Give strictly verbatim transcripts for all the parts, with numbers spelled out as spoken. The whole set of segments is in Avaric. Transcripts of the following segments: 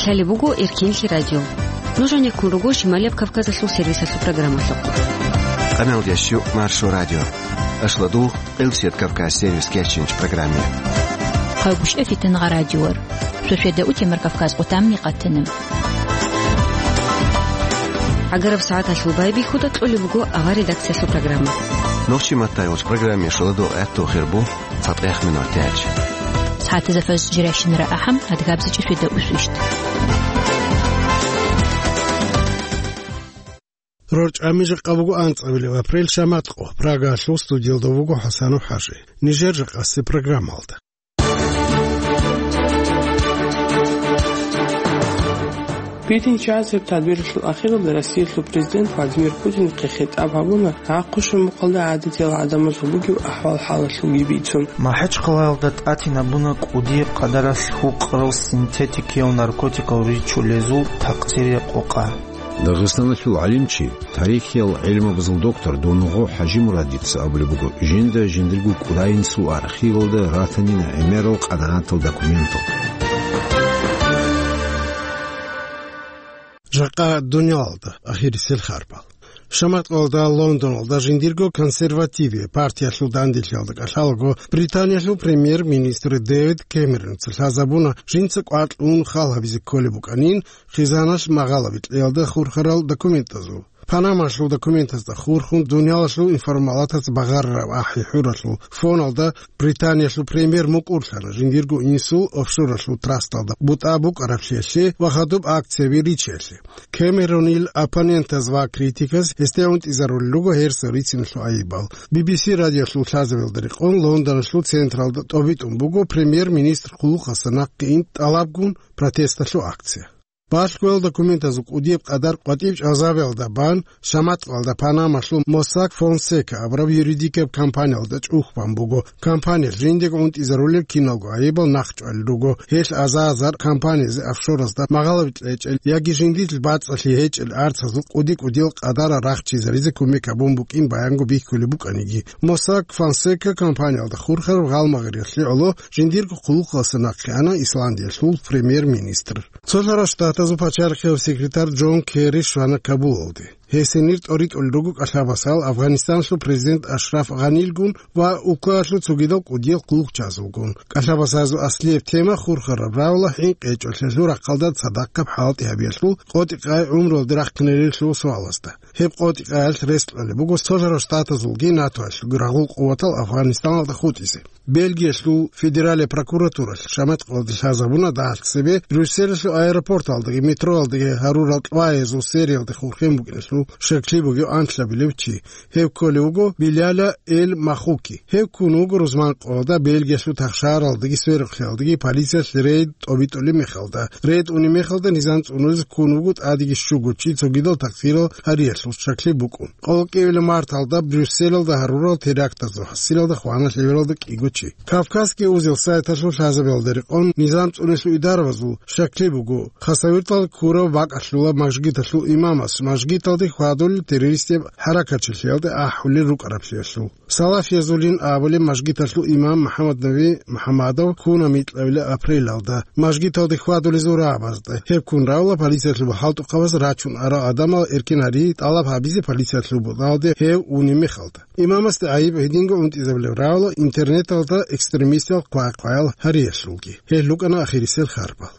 Лъалеб буго Эркенлъи радио. Нуж гьанеккун руго Шималияб Кавказалъул сервисалъул программалъухъ. Къамелдеш щу Маршо радио. Ашладу Къилсият Кавказ сервис кечинч программе. Хъайбушев Фитангъа радиор. Сосведа утемар Кавказ къутамни къатана. Агараб сагӀаталъул байбихьуда кьолеб буго авар редакциялъул программа. Нохчи маттайолч программе шоладо гӀатту хирбу. ЦатӀех минутач. СагӀатазда фаз жиращинара ахӀам, адгабзичӀи суда усвищт. РорчӀами жакъа буго анцӀабилеб апрель, шамат къо. Прагалъул студиялда вуго ХӀасанов ХӀажи. Нижер жакъасе программалда. Битинчасеб тадбиралъул ахиралда Россиялъул президент Владимир Путинихъе хитӀаб гьабуна гӀахъуша мухъалда гӀадатиял гӀадамазул бугеб ахӀвал-хӀалалъулги бицун. МахӀачхъалаялда тӀатинабуна кӀудияб къадаралъ гьукъарал синтетикиял наркотикал ричулезул такъсириял къокъа. Дагъистаналъул гӀалимчи, тарихиял гӀилмабазул доктор Донгъо ХӀажимурадица абулеб буго, жинда жиндирго кӀудияб архивалда ратанина гӀемерал къадарал документал. Жакъа дуниялалда ахирисел харбал. Шамат къоялда Лондоналда жиндирго консервативиял партиялъул данделъиялда кӀалъалаго Британиялъул премьер-министр Дэвид Кэмеронца лъазабуна жинца кӀвар кьун хал гьабизе кколеб букӀанин хизаналъ магъалаби кьеялда хурхарал документазул. Панамалъул документазда хурхун дуниялалъул информалатаз багъарараб ахӀи-хӀуралъул фоналда Британиялъул премьер мукӀурлъана жиндирго инсул офшоралъул трасталда бутӀа букӀараблъиялъе ва хадуб акцияби ричиялъе. Кэмеронил оппонентаз ва критиказ гьесде унтӀизарулел руго гьерсал рициналъул айибал. Би би си радиолъул лъазабиялда рекъон Лондоналъул централда тӀобитӀун буго премьер-министр хъулухъалъа нахъе ин тӀалабгун протесталъул акция. Балъгоял документазул кӀудияб къадар къватӀиб чӀвазабиялда бан, шамат къоялда Панамалъул Mossack Fonseca абураб юридикаб компаниялда чӀухь бан буго. Компаниялъ жиндего унтӀизарулел киналго айибал нахъчӀвалел руго. Гьелъ азар-азар компаниязе офшоразда магъалаби кьечӀел яги жиндилъ бацӀцӀалъи гьечӀел арцазул кӀуди-кӀудиял къадарал рахчизаризе кумек гьабун букӀин баянго бихьулеб букӀаниги. Mossack Fonseca компаниялда хурхараб гъалмагъириялъе гӀоло жиндирго хъулухъалъа нахъе ана Исландиялъул премьер-министр. Цолъарал Штатазул пачалихъияв секретарь Джон Керри щвана Кабулалде. Гьесенир тӀоритӀулел руго кӀалъабасал Афганистаналъул президент Ашраф Гъанилгун ва улкаялъул цогидал кӀудиял хъулухъчазулгун. КӀалъабасазул аслияб тема хурхараб равла хӀинкъи гьечӀолъиялъул рахъалда цадахъаб хӀалтӀи гьабиялъул къотӀи-къай гӀумруялде рахъинарилъул суалазда. Гьеб къотӀи-къаялъ рес кьолеб буго Цолъарал Штатазулги НАТОялъулги рагъул къуватал Афганистаналда хутӀизе. Бельгиялъул федералияб прокуратуралъ шамат къоялда лъазабуна дагьалъ цебе Брюсселалъул аэропорталдаги метроялдаги гьарурал кьваязул сериялде хурхен букӀиналъул щаклъи бугев анлъабилев чи. Гьев кколев вуго Биляля Эль Махуки. Гьев ккун вуго рузман къоялда Бельгиялъул тахшаралдаги сверухълъиялдаги полициялъ рейд тӀобитӀулеб мехалда. Рейд унеб мехалда низам цӀунулез ккун вуго тӀадеги щуго чи цогидал такъсирал гьариялъул щаклъи букӀун. Къоло кӀиабилеб марталда Брюсселалда гьарурал терактазул хӀасилалда хвана лъебералда кӀиго чи. Кавказский узел сайталъул лъазабиялда рекъон низам цӀунулъул идарабазул щаклъи буго, Хасавюрталда ккурав бакӀалъула мажгиталъул имамас мажгиталде хьвадулел террористияб хӀаракатчилъиялде ахӀулел рукӀараблъиялъул. Салафиязулин абулеб мажгиталъул имам МухӀаммад Наби МухӀаммадов ккуна микьабилеб апрелалда мажгиталде хьвадулезул рагӀабазда. Гьеб ккун равла полициялъул хӀалтӀухъабаз рачун арал гӀадамал эркин гьари тӀалаб гьабизе полициялъул бутӀалде гьев унеб мехалда. Имамасде гӀайиб гьединго унтӀизабулеб равла интернеталда экстремистиял хъвай-хъваял гьариялъулги. Гьел рукӀана ахирисел харбал.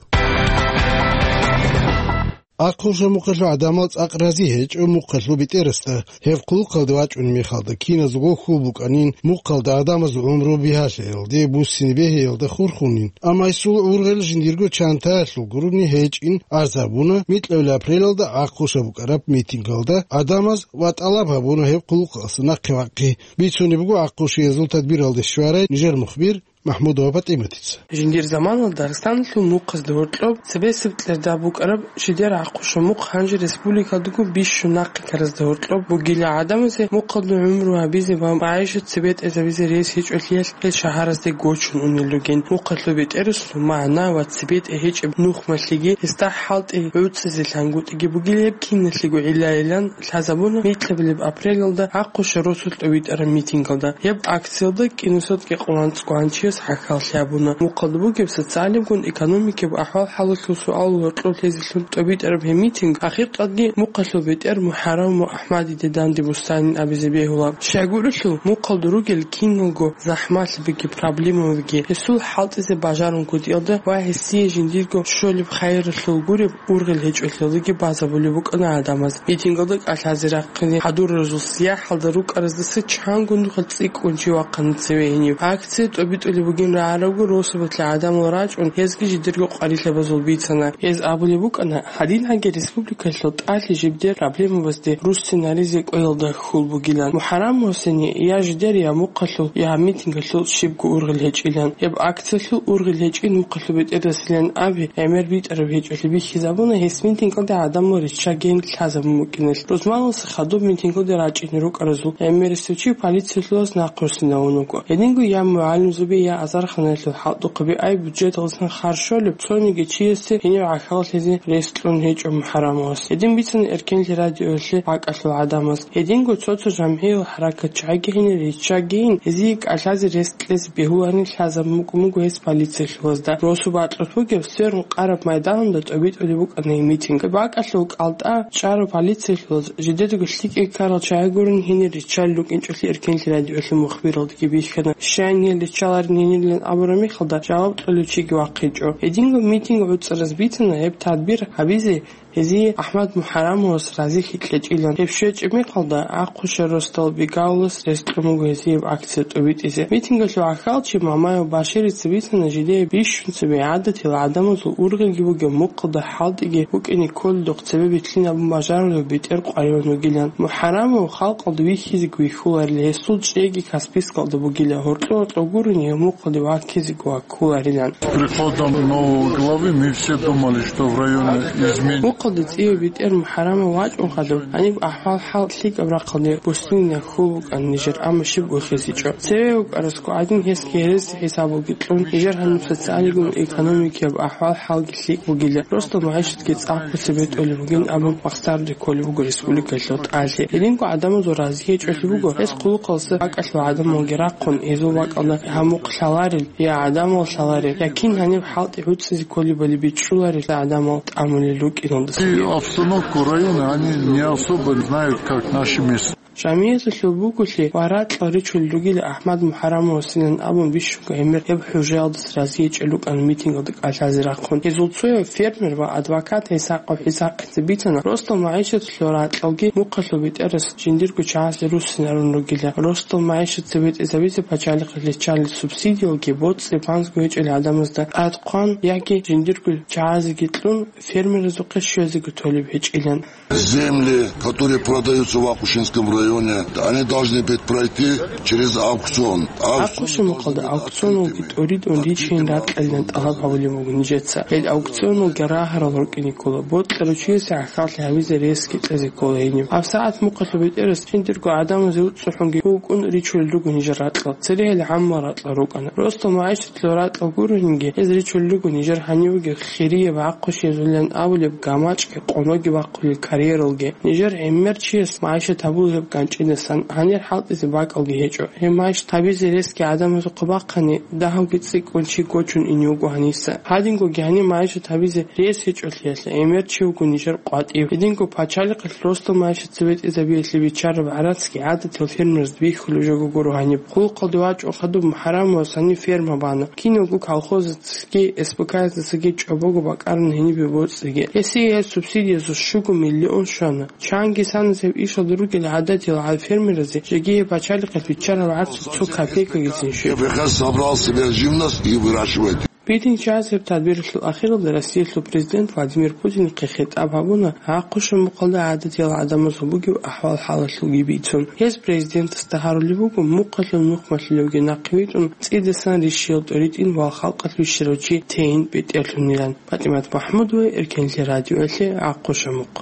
Ахъуша мухъалъул гӀадамал цӀакъ рази гьечӀо мухъалъул бетӀерасда. Гьеб хъулухъалде вачӀунеб мехалда киназго хьул букӀанин, мухъалда гӀадамазул гӀумру бигьалъиялде, буссине бегьиялда хурхунин. Амма гьесул гӀургъел жиндирго чантаялъул гурони гьечӀин арз гьабуна микьабилеб апрелалда ахъуша букӀараб митингалда гӀадамаз ва тӀалаб гьабуна гьеб хъулухъалъа нахъе вахъи. Бицунеб буго ахъушиязул тадбиралде щварай нижер мухбир МахӀмудова ПатӀиматица. Жиндир заманалда Дагъистаналъул мухъазда гьоркьоб цебесеб кьерда букӀараб жидер ахъуша мухъ гьанже республикалдаго бищун нахъе ккаразда гьоркьоб бугила гӀадамазе мухъалда гӀумру гьабизе ва магӀишат цебетӀезабизе рес гьечӀолъиялъ гьел шагьаразде гочун унел ругин. Мухъалъул бетӀерасул магӀна ва цебетӀе гьечӀеб нухмалъиги гьесда хӀалтӀи гӀуцӀизе лъангутӀиги бугила гьеб киналъего гӀиллайилан лъазабуна микьабилеб апрелалда ахъуша росулъ тӀовитӀараб митингалда. Гьеб акциялда кӀинусазда кьекъон анцӀго гьанчияс гӀахьаллъи гьабуна. Мухъалда бугеб социалиябгун экономикияб ахӀвал-хӀалалъул суал-гьоркьоб лъезелъун тӀобитӀараб гьеб митинг ахиркъадги мухъалъул бетӀер МухӀарам ва АхӀмадиде данде буссанин абизе бегьула. Щайгурелъул, мухъалда ругел киналго захӀмалъабиги проблемабиги гьесул хӀалтӀизе бажарун кутӀиялда ва гьесие жиндирго щолеб хайралъул гуреб ургъел гьечӀолъиялдаги базабулеб букӀана гӀадамаз. Митингалда кӀалъазе рахъине хӀадуразул сияхӀалда рукӀараздаса чанго нухалъ цӀикӀкӀун чи вахъана цеве гьенив. Акция тӀобитӀулеб бугин рагӀарабго росабалъ гӀадамал рачӀун, гьезги жидерго къварилъабазул бицана. Гьез абулеб букӀана, гьадин гьаги республикалъул тӀалъи жибдер проблемабазде руссинаризе кӀвеялда хьул бугилан. МухӀарам Гьусейни я жидер, я мухъалъул, я митингалъул щибго ургъел гьечӀилан. Гьеб акциялъул ургъел гьечӀин мухъалъул бетӀерасилан аби, гӀемер битӀараб гьечӀолъи бихьизабуна гьес митингалда гӀадамал риччагейин лъазабун букӀиналъ. Рузманалъуса хадуб митингалде рачӀине рукӀаразул гӀемерисев чи полициялъулаз нахъруссинавун вуго. Гьединго я мугӀалимзаби, я азарханалъул хӀалтӀухъаби, ай бюджеталдасан харж щолеб цониги чиясе гьенив гӀахьаллъизе рес кьун гьечӀо МухӀарамовас. Гьедин бицана Эркенлъи радиоялъе бакӀалъул гӀадамаз. Гьединго цо-цо жамгӀиял хӀаракатчагӀиги гьенир риччагейин, гьезие кӀалъазе рес кьезе бегьуларин лъазабун букӀун буго гьес полициялъулазда. Росу бакьулъ бугеб сверун къараб майданалда тӀобитӀулеб букӀана гьеб митинг. БакӀалъул кӀалтӀа чӀарав полициялъулаз жидедаго лъикӀай ккарал чагӀи гурин гьенир риччалел рукӀинчӀолъи Эркенлъи радиоялъул мухбиралдаги бихьана. Щайин гьел риччаларин гьенилан абураб мехалда жаваб кьолев чиги вахъинчӀо. Гьединго митинг гӀуцӀараз бицана гьеб тадбир гьабизе гьезие АхӀмад МухӀарамовас разихьи кьечӀилан. Гьеб щвечӀеб мехалда Ахъушев Ростал Бегавулас рес кьун буго гьезие гьеб акция тӀобитӀизе. Митингалъул гӀахьалчи Мамаев Баширица бицана жидее бищун цебе гӀадатил гӀадамазул ургъелги бугеб мухъалда хӀалтӀиги букӀине кколедухъ цебе битлъин абун бажарулев бетӀер къваригӀун вугилан. МухӀарамов халкъалда вихьизеги вихьуларила, гьесул чӀейги Каспийскалда бугила. Гьоркьор-гьоркьор гурони гьев мухъалде ваккизеги ваккуларилан. С приходом нового главы мы все думали, что в районе изменится. Мухъалде цӀиве бетӀер МухӀарамов вачӀун хадуб, гьаниб ахӀвал-хӀал лъикӀаб рахъалде буссинилан хьул букӀана нижер, амма щиб вихьизичӀо. Цеве вукӀарасго гӀадин гьесги гьереси хӀисабалги кьун, нижер гьаниб социалигун экономикияб ахӀвал-хӀалги лъикӀ бугила, росдал магӀишатги цӀакъго цебетӀолеб бугин абун махсарде кколеб буго республикалъул тӀалъи. Гьединго гӀадамазул разихӀечӀолъи буго, гьес хъулухъалдаса бакӀалъул гӀадамалги рахъун, гьезул бакӀалда гьамухъ лъаларел, я гӀадамал лъаларел, я кин гьаниб хӀалтӀи гӀуцӀизе кколебали бичӀчӀуларел гӀадамал тӀамулел рукӀиналдаса. И обстановку района они не особо знают, как наши местные. Жамияталъул буголъи ва ракьал ричулел ругила АхӀмад МухӀарамовасилан абун бищунго гӀемер гьеб хӀужаялдаса разихӀечӀел рукӀана митингалда кӀалъазе рахъун. Гьезул цояв фермер ва адвокат ГӀисакъов ГӀисакъица бицана, росдал магӀишаталъул ракьалги мухъалъул бетӀерас жиндирго чагӀазе руссинарун ругила. Росдал магӀишат цебетӀезабизе пачалихъ риччалел субсидиялги боцӀи-банзго гьечӀел гӀадамазда тӀад хъван яги жиндирго чагӀазеги кьун фермеразухъе щвезеги толеб гьечӀилан. Земли, которые продаются в Ахушинском районе, они должны быть пройти через аукцион. Ахъушин мухъалда аукционалги тӀуридун ричейин ракьалилан тӀалаб гьабулеб буго нижеца. Гьел аукционалги рагьарал рукӀине ккола, бокьарав чиясе гӀахьаллъи гьабизе ресги кьезе ккола гьениб. ГьабсагӀат мухъалъул бетӀерас жиндирго гӀадамазе уцӀцӀухӀунги вукӀун ричулел руго нижер ракьал. Церегьел гӀаммал ракьал рукӀана. Росдал магӀишаталъул ракьал гуронинги, гьез ричулел руго нижер гьанивеги хирияб гӀахъушиязулилан абулеб гамачӀги къоноги бахъулел карьералги. Нижер гӀемер чияс магӀишат гьабула гьеб ганчӀидасан, гьанир хӀалтӀизе бакӀалги гьечӀо. Гьеб магӀишат гьабизе ресги гӀадамазухъе бахъани, дагьавги цӀикӀкӀун чи гочун ине вуго гьаниса. Гьадингоги гьанир магӀишат гьабизе рес гьечӀолъиялъ гӀемер чи вуго нижер къватӀив. Гьединго пачалихъалъ росдал магӀишат цебетӀезабиялъе биччараб гӀарацги гӀадатиял фермерзда бихьулеб жого гуро гьаниб. Хъулухъалде вачӀун хадуб МухӀарамовас гьаниб ферма бана. Киналго колхозацаги СПК-яздасаги чӀобого бакӀарана гьенибе боцӀиги. Гьесие гьеб субсидиязул щуго миллион щвана. Чанги саназеб ишалда ругел гӀадатиял гьал фермеразе жеги гьеб пачалихъалъ биччарал гӀарцул цо копейкагицин щвела. Собрал себе живность и выращивает. Битинчиясеб тадбиралъул ахиралда Россиялъул президент Владимир Путинихъе хитӀаб гьабуна Ахъушин мухъалда гӀадатиял гӀадамазул бугеб ахӀвал-хӀалалъулги бицун. Гьез президентасда гьарулеб буго мухъалъул нухмалъулевги нахъе витӀун цӀидасан рищиял тӀоритӀин ва халкъалъ вищарав чи тейин бетӀерлъунилан. ПатӀимат МахӀмудова, Эркенлъи радиоялъе, Ахъушин мухъ.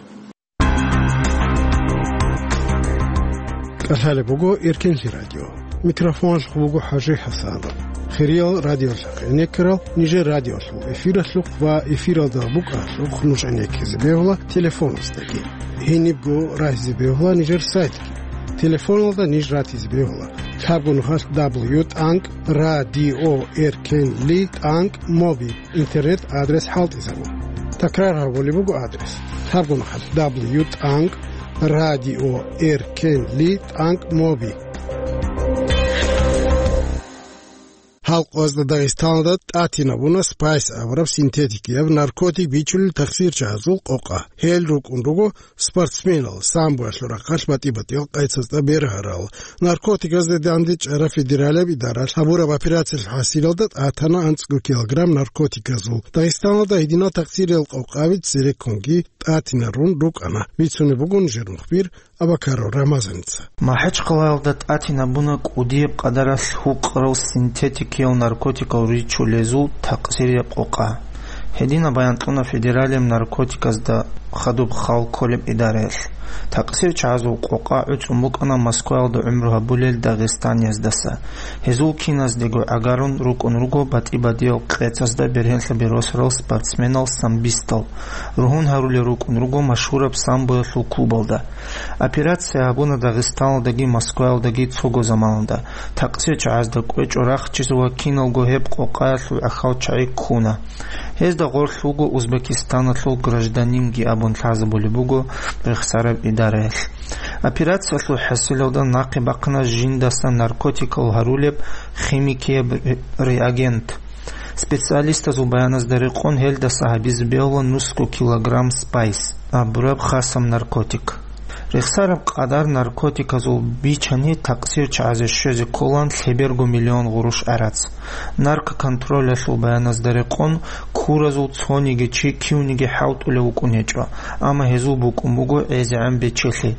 КӀалъалеб буго Эркенлъи радио. Микрофоналъухъ буго ХӀажи ХӀасанов. Хириял радиолъахъ гӀенеккарал нижер радиолъул эфиралъухъ ва эфиралда букӀаралъухъ нуж гӀенеккизе бегьула телефоназдаги. Гьенибго рагьизе бегьула нижер сайтги. Телефоналда ниж ратизе бегьула Лъабгун хъалъ W тӀанкӀ радио эркенли тӀанкӀ моби интернет адрес хӀалтӀизабун. Такрар гьабулеб буго адрес: лъабгун хъалъ W тӀанкӀ радио эркенли тӀанкӀ моби. Гьал къоязда Дагъистаналда тӀатинабуна спайс абураб синтетикияб наркотик бичулел тахсирчагӀазул къокъа. Гьел рукӀун руго спортсменал, самбоялъул рахъалъ батӀи-батӀиял къецазда бергьарал. Наркотиказда дандечӀараб федералияб идаралъ гьабураб операциялъ хӀасилалда тӀатана анцӀго килограмм наркотиказул. Дагъистаналда гьединал тахсириял къокъаби цереккунги тӀатинарун рукӀана. Бицунеб бугун жер мухбир Абакаров Рамазаница. МахӀачхъалаялда тӀатинабуна кӀудияб къадаралъ гьукъарал синтетикиял наркотикал ричулезул такъсирияб къокъа. Гьединаб баян кьуна федералияб наркотиказда хадуб хал кколеб идараялъ. ТакъсирчагӀазул къокъа гӀуцӀун букӀана Москваялда гӀумру гьабулел дагъистанияздаса. Гьезул киназдего гӀагарун рукӀун руго батӀи-батӀиял къецазда бергьенлъаби росарал спортсменал-самбистал. Ругьун гьарулел рукӀун руго машгьураб самбоялъул клубалда. Операция гьабуна Дагъистаналдаги Москваялдаги цого заманалда. ТакъсирчагӀазда кӀвечӀо рахчиз ва киналго гьеб къокъаялъул гӀахьалчагӀи ккуна. Гьезда гъорлъ вуго Узбекистаналъул гражданинги абун лъазабулеб буго рехсараб идараялъ. Операциялъул хӀасилалда нахъе бахъана жиндаса наркотикал гьарулеб химикияб ре-, реагент. Специалистазул баяназда рекъон, гьелдаса гьабизе бегьула нусго килограмм спайс абураб хасаб наркотик. Рехсараб къадар наркотиказул бичани такъсирчагӀазе щвезе кколаан лъеберго миллион гъурущ гӀарац. Наркоконтролялъул баяназда рекъон, куразул цониги чи кивниги хӀалтӀулев вукӀун гьечӀо, амма гьезул букӀун буго гӀезегӀан бечелъи.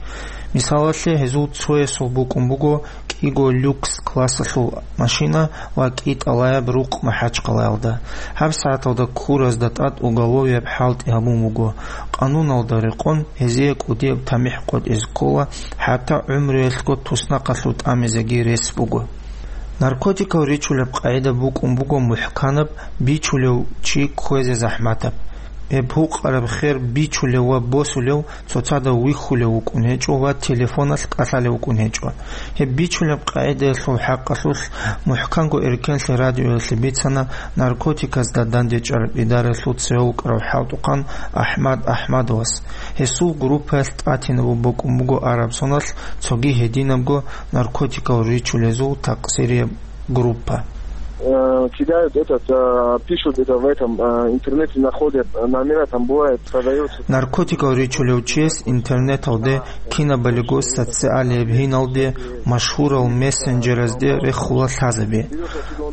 Мисалалъе, гьезул цоясул букӀун буго кӀиго люкс классалъул машина ва кӀитӀалаяб рукъ МахӀачхъалаялда. ГьабсагӀаталда куразда тӀад уголовияб хӀалтӀи гьабун буго. Къануналда рекъон, гьезие кӀудияб тамихӀ къотӀизе ккола, хӀатта гӀумруялъго туснахъалъув тӀамизеги рес буго. Наркотикал ричулеб къагӀида букӀун буго мухӀканаб бичулев чи кквезе захӀматаб. Гьеб гьукъараб хер бичулев ва босулев цоцазда вихьулев вукӀун гьечӀо ва телефоналъ кӀалъалев вукӀун гьечӀо. Гьеб бичулеб къагӀидаялъул хӀакъалъулъ мухӀканго эркенлъи радиоялъе бицана наркотиказда дандечӀараб идараялъул цеве вукӀарав хӀалтӀухъан АхӀмад АхӀмадовас. Гьесул группаялъ тӀатинабун букӀун буго араб соналъ цоги гьединабго наркотикал ричулезул такъсирияб группа. Э, кидают этот, э, пишут это в этом, э, интернете, находят, э, номера, там бывает, продается. Наркотикал ричулев чияс интернеталде, кинабалиго социалияб гьиналде, машгьурал мессенджеразде рехула лъазаби.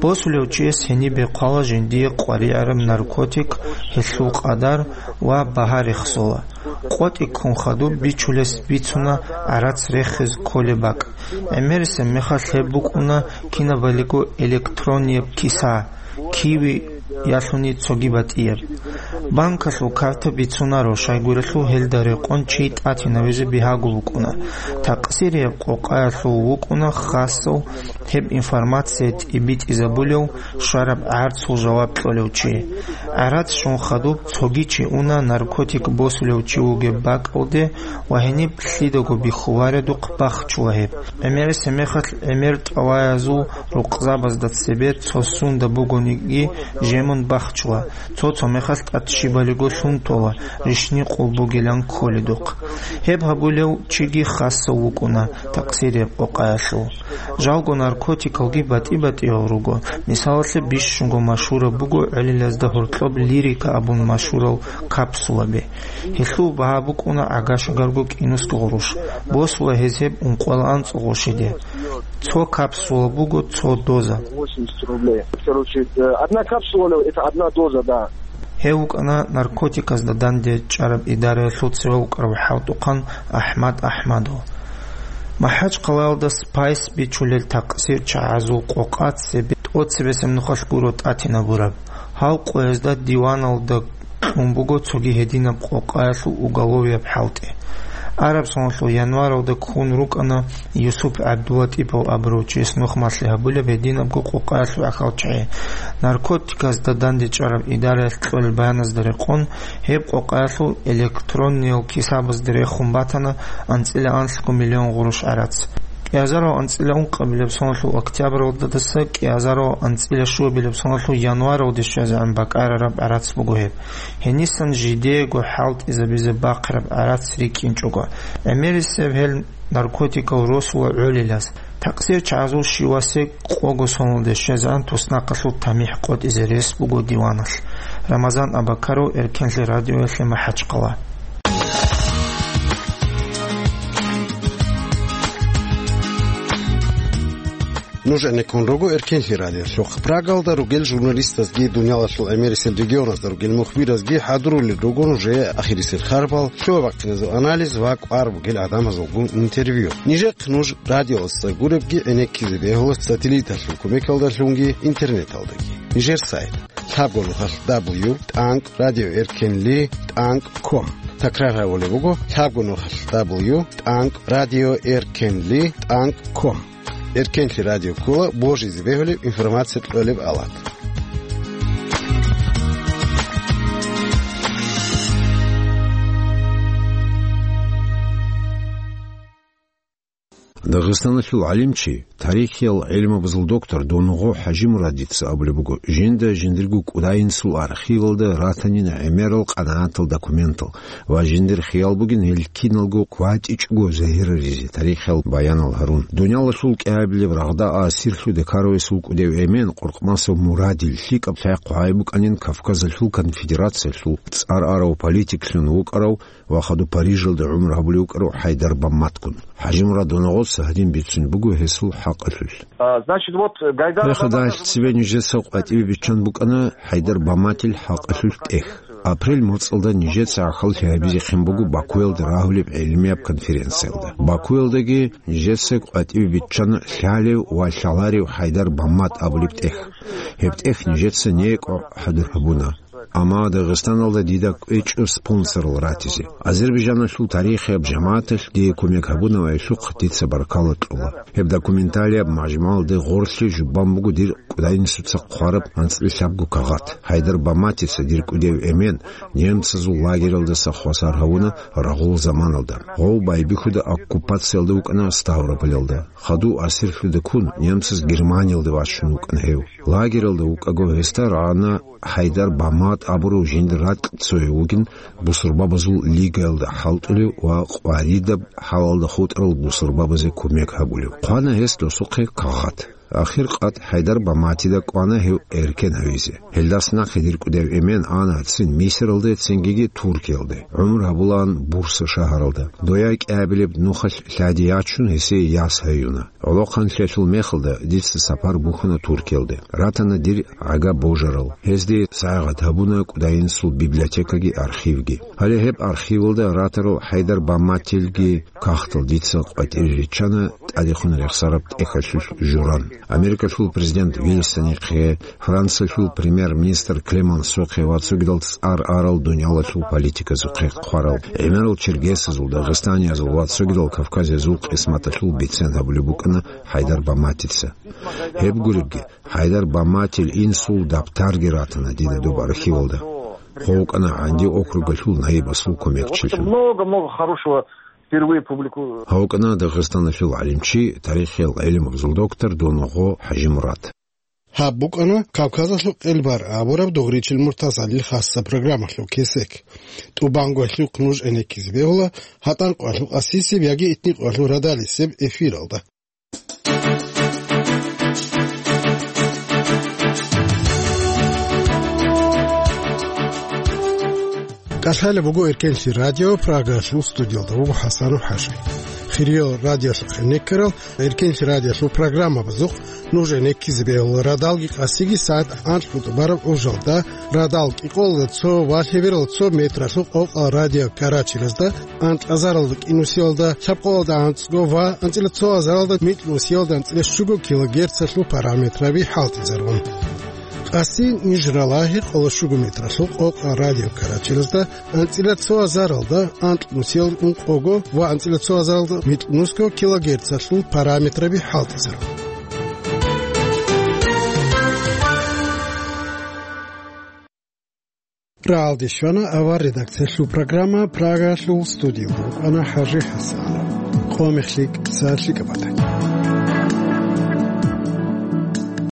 Босулев чияс гьенибе хъвала жиндие къваригӀараб наркотик, гьелъул къадар ва багьа рехсола. КъотӀи ккун хадуб бичулес бицуна гӀарац рехиз кколеб бакӀ. ГӀемерисеб мехалъ гьеб букӀуна кинабалиго электронияб киса, киви ялъуни цоги батӀияб. Банкалъул карта бицунаро, щайгурелъул гьелда рекъон чи тӀатинавизе бигьаго вукӀуна. Такъсирияб къокъаялъул вукӀуна хасав гьеб информация тӀибитӀизабулев, щвараб гӀарцул жаваб кьолев чи. ГӀарац щун хадуб цоги чи уна наркотик босулев чи вугеб бакӀалде ва гьениб лъидаго бихьуваредухъ бахчула гьеб. ГӀемерисеб мехалъ гӀемер тӀалаязул рукъзабазда цебе цо сунда бугониги жемун бахчула, цо-цо мехалъ тӀад щибалиго лъун тола, рищни къулбугилан кколедухъ. Гьеб гьабулев чиги хасав вукӀуна такъсирияб къокъаялъул. Жалго наркотикалги батӀи-батӀиял руго. Мисалалъе, бищунго машгьураб буго гӀолилазда гьоркьоб лирика абун машгьурал капсулаби. Гьелъул багьа букӀуна гӀагашагарго кӀинусго гъурущ. Босула гьез гьеб ункъоялда анцӀго гъурщиде. Цо капсула буго цо доза. Восемьдесят рублей. Короче, э, одна капсула, это одна доза, да. Гьев вукӀана наркотиказда дандечӀараб идараялъул цеве вукӀарав хӀалтӀухъан АхӀмад АхӀмадов. МахӀачхъалаялда спайс бичулел такъсирчагӀазул къокъа цебе тӀоцебесеб нухалъ гуро тӀатинабураб. Гьал къоязда диваналда кьун буго цоги гьединаб къокъаялъул уголовияб хӀалтӀи. Араб соналъул январалда ккун рукӀана Юсуп ГӀабдулатӀипов абурав чияс нухмалъи гьабулеб гьединабго къокъаялъул гӀахьалчагӀи. Наркотиказда дандечӀараб идараялъ кьолел баяназда рекъон, гьеб къокъаялъул электронниял кисабазда рехун батана анцӀила анлъго миллион гъурущ гӀарац. Кьиазарав анцӀила ункъабилеб соналъул октябралдаса кьиазарав анцӀила щуабилеб соналъул январалде щвезегӀан бакӀарараб гӀарац буго гьеб. Гьенисан жидеего хӀалтӀизабизе бахъараб гӀарац рикӀкӀинчӀого, гӀемерисеб гьел наркотикал росула гӀолилаз. Такъсир чагӀазул щивасе къого соналде щвезегӀан туснахъалъул тамихӀ къотӀизе рес буго диваналъ. Рамазан Абакаров, Эркенлъи радиоялъе МахӀачхъала. Нуж гӀенеккун руго Эркенлъи радиолъухъ. Прагалда ругел журналистазги, дуниялалъул гӀемерисел регионазда ругел мухбиразги хӀадурулел руго нужее ахирисел харбал, лъугьа-бахъиназул анализ ва кӀвар бугел гӀадамазулгун интервью. Нижехъ нуж радиоялдаса гуребги гӀенеккизе бегьула сателлиталъул кумекалдалъунги интернеталдаги. Нижер сайт: лъабго нухалъ дабл ю тӀанкӀ радио эркенли тӀанкӀ ком. Такрар гьабулеб буго: лъабго нухалъ дабл ю тӀанкӀ радио эркенли тӀанкӀ ком. Эркенлъи радио ккола божизе бегьулеб информация кьолеб алат. Дагъистаналъул гӀалимчи, тарихиял гӀилмабазул доктор Донгъо ХӀажимурадица абулеб буго, жинда жиндирго кӀудайинсул архивалда ратанин гӀемерал къанагӀатал документал ва жиндир хиял бугин гьел киналго кватӀичӀого загьираризе тарихиял баянал гьарун. Дуниялалъул кӀиабилеб рагъда асирлъуде ккаравесул кӀудев эмен Къуркъмасов Мурадил лъикӀаб лъай хъвай букӀанин Кавказалъул конфедерациялъул цӀар арав политиклъун вукӀарав ва хадуб Парижалда гӀумру гьабулев вукӀарав ХӀайдар Бамматгун. ХӀажимурад Донгъоца гьадин бицун буго гьесул хӀакъалъулъ. А, значит, вот, э, Гайдар Гьеб хадуб Абаматов нижеца къватӀибе биччан букӀана ХӀайдар Бамматил хӀакъалъулъ тӀех. Апрель моцӀалда нижеца гӀахьаллъи гьабизехъин буго Бакуялда рагьулеб гӀелмияб конференциялда. Бакуялдаги нижеца къватӀибе биччана лъалев ва лъаларев ХӀайдар Баммат абулеб тӀех. Гьеб тӀех нижеца некӀо хӀадур гьабуна. Амма Дагъистаналда дида кӀвечӀо спонсорал ратизе. Азербайджаналъул тарихияб жамагӀаталъ дие кумек гьабунаваялъухъ дица баркала кьола. Гьеб документалияб мажмугӀалде гъорлъе жубан буго дир кӀудайинсуца хъвараб анцӀила лъабго кагъат. ХӀайдар Бамматица дир кӀудев эмен немцазул лагералдаса хвасар гьавуна рагъул заманалда. Гъов байбихьуда оккупациялда вукӀана Ставрополалда. Хадув асирлъуда ккун, немцаз Германиялде вачун вукӀана гьев. Лагералда вукӀаго гьесда рагӀана ХӀайдар Баммат абурав жиндир ракь цояв вугин бусурбабазул лигаялда хӀалтӀулев ва къваридаб хӀалалда хутӀарал бусурбабазе кумек гьабулев. Хъвана гьес досухъе кагъат. Ахир къад ХӀайдар Бамматида кӀвана гьев эркен гьавизе. Гьелдас нахъе дир кӀудев эмен ана цин Мисиралде, цингиги Туркиялде. ГӀумру гьабулаан Бурса шагьаралда. Дояй кӀиабилеб нухалъ лъади ячун, гьесие яс гьаюна. ГӀолохъанлъиялъул мехалда дица сапар бухьана Туркиялде. Ратана дир гӀага божарал. Гьезде сагӀат гьабуна кӀудайинсул библиотекаги архивги. Гьале гьеб архивалда ратарал ХӀайдар Бамматилги кагътал дица къватӀире риччана тӀадехун рехсараб тӀехьалъулъ журан. Америкалъул президент Вильсонихъе, Франциялъул премьер-министр Клемансохъе ва цогидал цӀар арал дуниялалъул политиказухъе хъварал, гӀемерал черкесазул, дагъистаниязул ва цогидал кавказиязул къисматалъул бицен гьабулеб букӀана ХӀайдар Бамматица. Гьеб гуребги, ХӀайдар Бамматил инсул дабтарги ратана дида доб архивалда. Хъван вукӀана ГӀанди округалъул наибасул кумекчилъун. Много-много хорошего впервые публику- Гьав вукӀана Дагъистаналъул гӀалимчи, тарихиял гӀилмузул доктор Донгъо ХӀажимурад. Гьаб букӀана Кавказалъул къелбар абураб Дугъричил Муртазалил хасса программалъул кесек. ТӀубанго гьелъухъ нуж гӀенеккизе бегьула гьатӀан къоялъул къасисеб яги итни къоялъул радалисеб эфиралда. КӀалъалеб буго Эркенлъи радио, Прагалъул студиялда вуго ХӀасанов ХӀажи. Хириял радиолъухъ гӀенеккарал Эркенлъи радиолъул программабазухъ нуж гӀенеккизе бегьула радалги къасиги сагӀат анкьго тӀубараб гӀужалда, радал кӀикъоялда цо ва лъебералда цо метралъул къокъал радио карачелазда, анкьазаралда кӀинусиялда, лъабкъоялда анцӀго ва анцӀила цо азаралда микьнусиялда анцӀила щуго килогерцалъул параметраби хӀалтӀизарун. Къаси ниж ралагьи къоло щуго метралъул къокъал радио карачелазда, анцӀила цо азаралда анкьнусиялда ункъого ва анцӀила цо азаралда микьнусго килогерцалъул параметраби хӀалтӀизарун. Рагьалде щвана авар редакциялъул программа, Прагалъул студиялда вукӀана ХӀажи ХӀасан. Къо мехлъи кӀиса лъикӀаб батани.